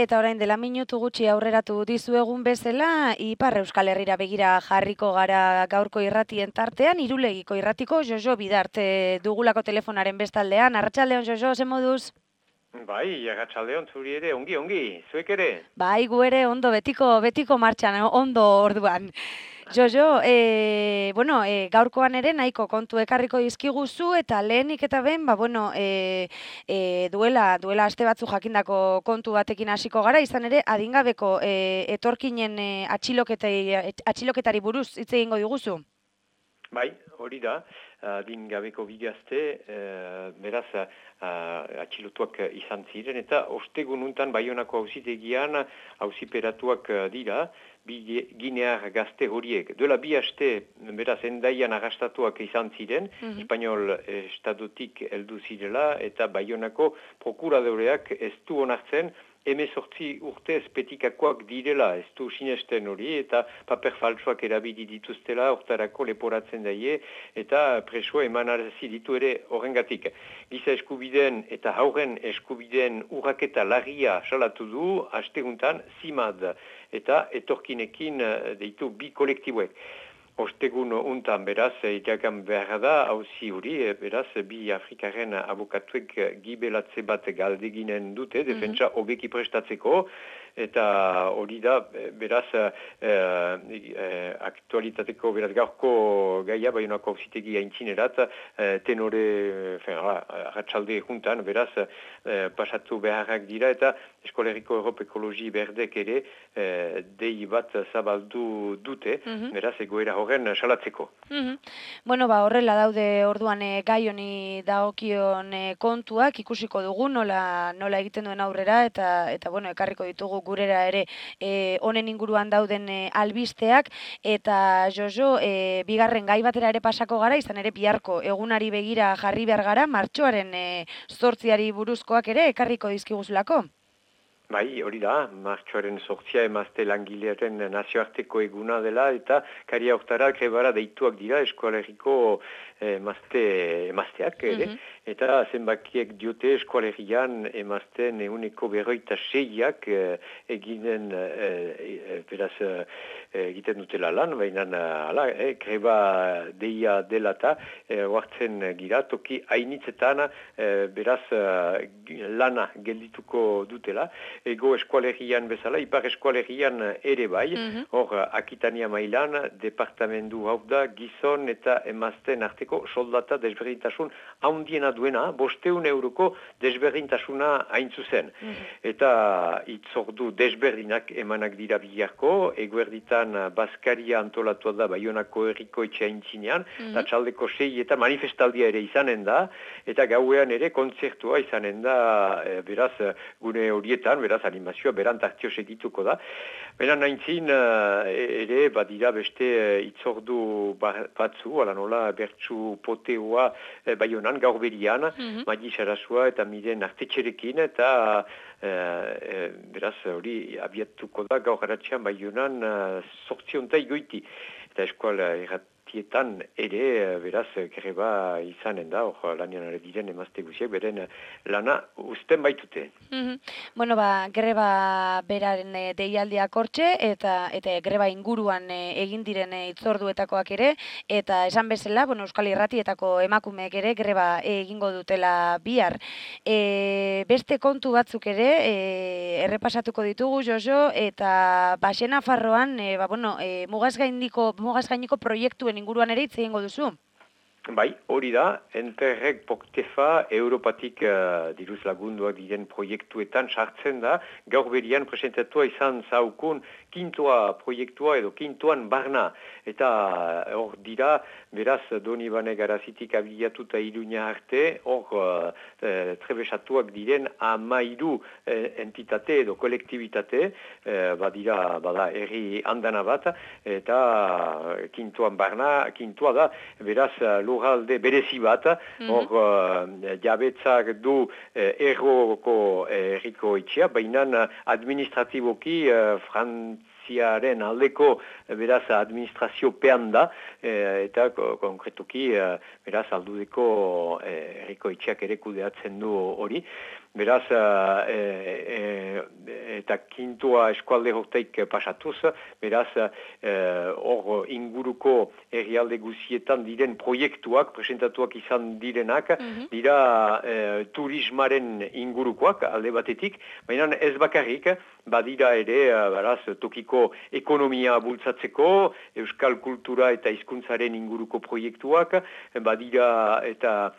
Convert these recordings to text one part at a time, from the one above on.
Eta orain dela minutu gutxi aurreratu dizuegun bezala, Ipar Euskal Herrira begira jarriko gara gaurko irratien tartean, Irulegiko irratiko Jojo Bidarte dugulako telefonaren bestaldean. Arratsaldeon Jojo, ze moduz? Bai, arratsaldeon zuri ere, ongi, zuek ere? Bai, gu ere ondo, betiko martxan, ondo orduan. Jojo, gaurkoan ere nahiko kontu ekarriko dizkiguzu eta lehenik eta behin, duela aste batzu jakindako kontu batekin hasiko gara, izan ere adingabeko etorkinen atxiloketari buruz hitz egingo diguzu. Bai, hori da, adingabeko bigazte, beraz, atxilotuak izan ziren, eta ostegun untan Baionako auzitegian auziperatuak dira, bi ginear gazte horiek. Duela bi aste, beraz, endaian arrastatuak izan ziren, Espainol estatutik heldu zirela, eta Baionako prokuradoreak ez du onartzen, 18 urte espetikakoak direla, ez du sinesten hori, eta paper faltsuak erabili dituztela, hortarako leporatzen daie, eta presoa emanarazi ditu ere horrengatik. Giza eskubideen eta hauren eskubideen urraketa larria salatu du, asteguntan CIMAD, eta etorkinekin deitu bi kolektiboek. Ostegun untan beraz, iragan behar da, hauzi hori, beraz, bi Afrikaren abokatuek gibelatze bat galdeginen dute, defentsa hobeki prestatzeko, eta hori da, beraz, aktualitateko, beraz, gaurko gaia, Baionako auzitegi aintzinerat, tenore, arratsalde juntan, beraz, pasatu beharrak dira, eta Eskoleriko Europe Ekologi Berdek ere, dei bat zabaldu dute, beraz, egoera horren salatzeko. Horrela daude orduan gai honi dagokion kontuak ikusiko dugu nola egiten duen aurrera eta ekarriko ditugu gurera ere honen inguruan dauden albisteak eta Jojo bigarren gai batera ere pasako gara, izan ere biharko egunari begira jarri behar gara, martxoaren 8 buruzkoak ere ekarriko dizkiguzulako. Bai, hori da, martxoaren 8 emazte langilearen nazioarteko eguna dela eta karia hortara grebara deituak dira Eskoaleriko emazteak ere. Eta zenbakiek diote Eskoalerian emazten 156ak egiten dutela lan, baina greba deia dela eta oartzen gira, toki hainitzetan beraz lana geldituko dutela. Ego Eskualerian bezala, Ipar Eskualerian ere bai, hor Akitania mailan, departamendu hau da, gizon eta emazten arteko soldata desberdintasun handiena duena, 500 euroko desberdintasuna hain zuzen. Eta itzordu desberdinak emanak dira biharko, eguerditan Baskaria antolatua da Baionako herriko etxe aintzinean, eta txaldeko 6 eta manifestaldia ere izanen da, eta gauean ere kontzertua izanen da, beraz, gune horietan, beraz, animazioa berantartio segituko da. Beran naintzin, ere, badira beste itzordu batzu, ala nola, bertsu poteoa Baionan, gaur berian, Madi Sarasua eta Miren Artetxerekin, eta beraz, hori abiatuko da gaur garatxean Baionan 8 goiti. Eta eskola erratietan ere, beraz, greba izanen da, hor lanian ari diren emazte guziak, beren lana uzten baitute. Greba beraren deialdiak hortxe, eta greba inguruan egin diren itzorduetakoak ere, eta esan bezala, Euskal Irratietako emakumeek ere greba egingo dutela bihar. Beste kontu batzuk ere, errepasatuko ditugu, Jojo, eta Baxena Farroan, mugaz gainiko proiektuen inguruan ere hitz egingo duzu. Bai, hori da, Enterreg Poktefa Europatik diruz lagunduak diren proiektuetan sartzen da, gaur berian presentatua izan zaukun kintoa proiektua edo kintoan barna. Eta hor dira, beraz, Donibane Garazitik abiatuta Iruña arte, hor trebesatuak diren 13 entitate edo kolektibitate, bada herri andana bat, eta kintoan barna, kintoa da, beraz, lurralde berezi bat, hor jabetzak du erroko herriko itxea, baina administratiboki Frantziaren aldeko beraz administraziopean da, eta konkretuki beraz aldudeko herriko itxeak ere kudeatzen du hori. beraz, eta kintua eskualde horteik pasatuz, beraz, hor inguruko herrialde guzietan diren proiektuak, presentatuak izan direnak, dira turismaren ingurukoak alde batetik, baina ez bakarrik, badira ere, beraz, tokiko ekonomia bultzatzeko, euskal kultura eta hizkuntzaren inguruko proiektuak, badira eta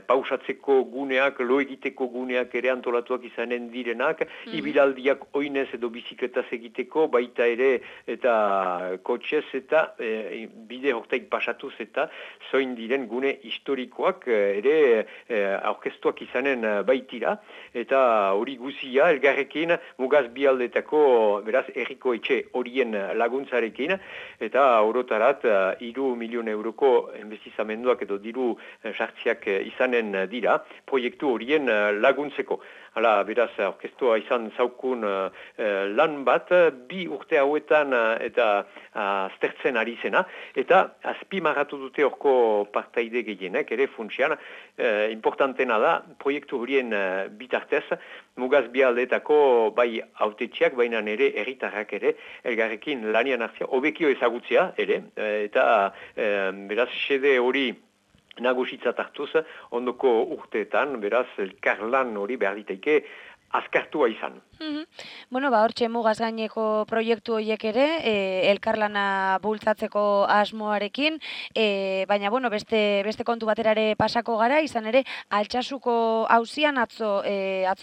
pausatzeko guneak, lo egiteko guneak ere antolatuak izanen direnak, ibilaldiak oinez edo bizikletaz egiteko, baita ere eta kotxez eta bide hortaik pasatuz eta zoin diren gune historikoak ere aurkeztuak izanen baitira, eta hori guzia elgarrekin mugaz bialdetako, beraz, herriko etxe horien laguntzarekin, eta orotarat 3 milion euroko enbestizamenduak edo diru sartziak izanen dira, proiektu horien laguntzeko. Hala, beraz, orkestua izan zaukun lan bat, 2 urte hauetan eta aztertzen ari zena, eta azpimarratu dute orko partaide gehienek, ere funtsian, importantena da, proiektu horien bitartez, mugaz bialdetako bai autetxiak, baina ere herritarrak ere, elgarrekin lanian hartzia, hobekio ezagutzea ere, eta beraz, xede hori nagusitzat hartuz, ondoko urteetan, beraz, elkarlan hori behar diteike azkartua izan. Bueno, hortxe mugaz gaineko proiektu horiek ere, elkarlana bultzatzeko asmoarekin, baina, bueno, beste kontu baterare pasako gara, izan ere, Altsasuko auzian atzo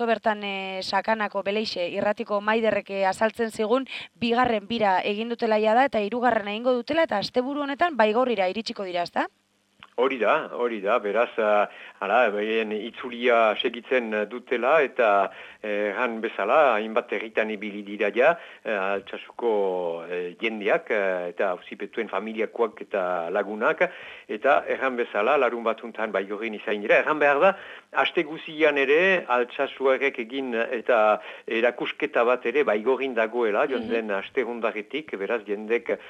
bertan sakanako beleixe irratiko maiderrek azaltzen zigun, 2. bira egin dutela da, eta 3. egingo dutela, eta asteburu honetan Baigorrira iritsiko dira, ezta? Hori da, beraz, itzulia segitzen dutela eta erran bezala, hainbat herritan ibili dira ja, Altsasuko jendeak eta auzipetuen familiakoak eta lagunak, eta erran bezala, larun batuntan Baigorrin izain dira. Erran behar da, aste guzian ere, Altsasuarek egin eta erakusketa bat ere Baigorrin dagoela, jonden aste hundaretik, beraz, jendek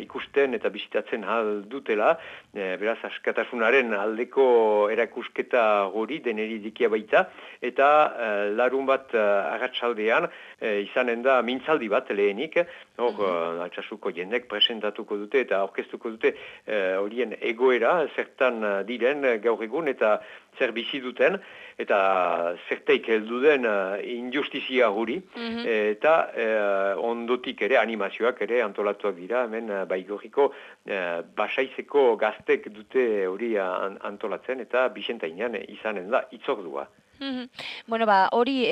ikusten eta bisitatzen hal dutela, beraz, askatasunaren aldeko erakusketa hori deneri dikia baita, eta larun bat arratsaldean izanen da mintzaldi bat lehenik, hor Altsasuko jendek presentatuko dute eta aurkeztuko dute horien egoera, zertan diren gaur egun eta zer bizi duten, eta zerteik heldu den injustizia hori, eta ondotik ere animazioak ere antolatuak dira, hemen Baigorriko basaizeko gaztek dute hori antolatzen, eta Bixentainan izanen da itzordua. Bueno, hori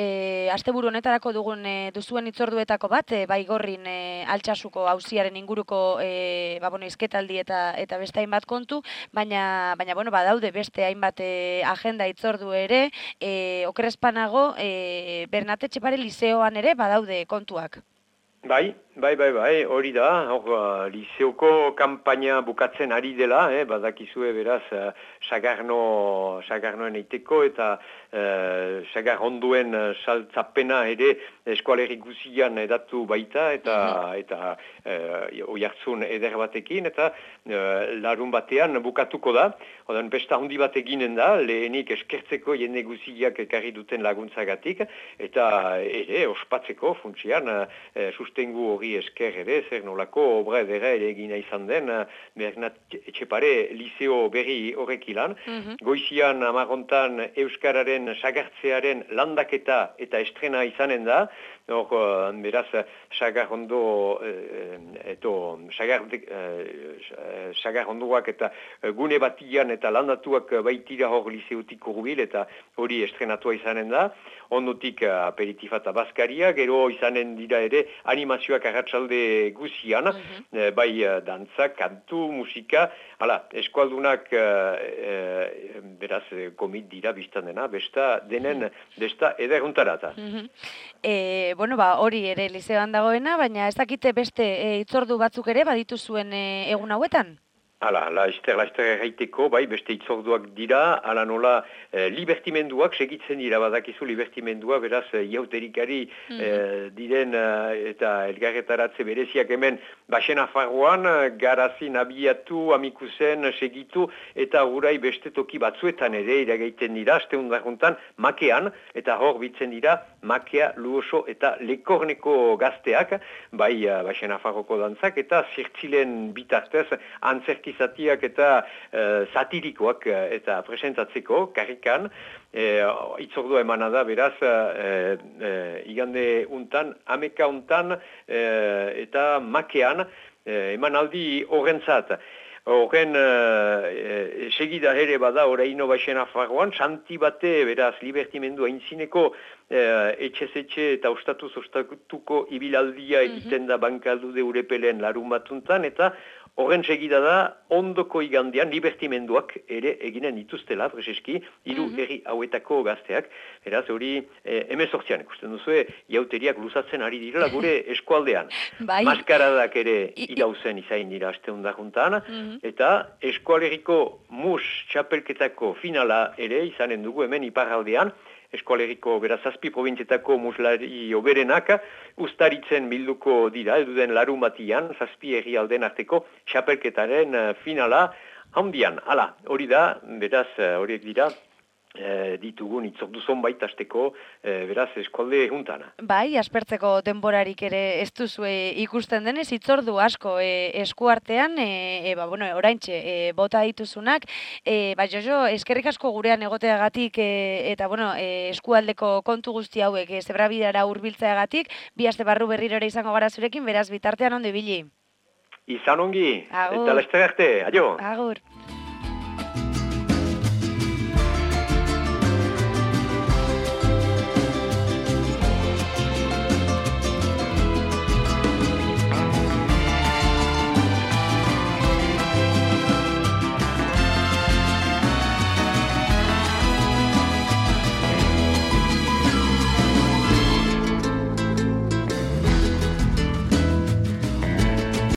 asteburu honetarako duzuen itzorduetako bat, Baigorrin Altsasuko auziaren inguruko hizketaldi eta beste hainbat kontu, baina bueno, daude beste hainbat agenda itzordu ere, okerrezpanago Bernat Etxepare lizeoan ere badaude kontuak. Bai, hori da, lizeoko kanpaina bukatzen ari dela, badakizue beraz, sagarnoen eiteko eta sagar onduen saltzapena ere eskualerri guzian edatu baita eta oihartzun eder batekin eta larun batean bukatuko da. Odan besta handi bat eginen da, lehenik eskertzeko jende guziak ekarri duten laguntzagatik eta ere ospatzeko funtsian sustengu hori esker ere, zer nolako obra edera ere egina izan den, Bernat Etxepare liceo berri horrekilan. Goizian amarrontan Euskararen sagartzearen landaketa eta estrena izanen da, beraz, sagarrondo sagarrondoak eta gune batian eta landatuak baitira hor liceotik urbil eta hori estrenatua izanen da. Ondotik aperitifata bazkaria, gero izanen dira ere animazioak arratsalde guzian, bai dantza, kantu, musika, eskualdunak beraz komit dira biztan dena, besta denen besta ederuntarata. Bueno, hori ere lizeoan dagoena, baina ez dakite beste itzordu batzuk ere baditu zuen egun hauetan? Hala, laizter erraiteko, bai, beste itzorduak dira, ala nola libertimenduak segitzen dira, badakizu libertimendua, beraz, iauterikari diren eta elgarretaratze bereziak hemen Baxen Nafarroan, garazin abiatu, amikusen segitu, eta gurai beste toki batzuetan ere iragaiten dira, asteundarruntan, makean, eta hor bitzen dira, makea, luoso eta lekorneko gazteak, bai, Baxen Nafarroko dantzak, eta zirtzilen bitartez, antzerkizatiak eta satirikoak eta presentatzeko, karrikan, itzordua emana da, beraz, igande untan, ameka untan, eta makean, emanaldi horrentzat. Horren segida ere bada oraino Baxen Nafarroan, santi bate, beraz, libertimendua intzineko etxez-etxe eta ostatuz-ostatuko ibilaldia egiten da bankaldude urepelen larun batuntan, eta horren segida da, ondoko igandean libertimenduak ere eginen dituztela, prezeski, hiru herri hauetako gazteak, beraz, hori emezortzian, ikusten duzu, jauteriak luzatzen ari direla gure eskualdean. Bai. Maskaradak ere irauzen izain dira asteundarruntan, eta eskualeriko mus txapelketako finala ere izanen dugu hemen iparraldean, eskualeriko berazazpi provintzietako muslari oberenak ustaritzen bilduko dira, eduden larun batian, zazpi herrialden arteko txapelketaren finala handian. Hala, hori da, beraz, horiek dira, ditugun itzordu zonbait asteko, beraz, eskualde juntana. Bai, aspertzeko denborarik ere ez duzue ikusten denez, itzordu asko eskuartean, oraintxe bota dituzunak, Jojo, eskerrik asko gurean egoteagatik eta eskualdeko kontu guzti hauek zebrabidara hurbiltzeagatik, bi aste barru berriro ere izango gara zurekin, beraz bitartean ondo ibili. Izan ongi, Agur. eta laster arte, adio. Agur.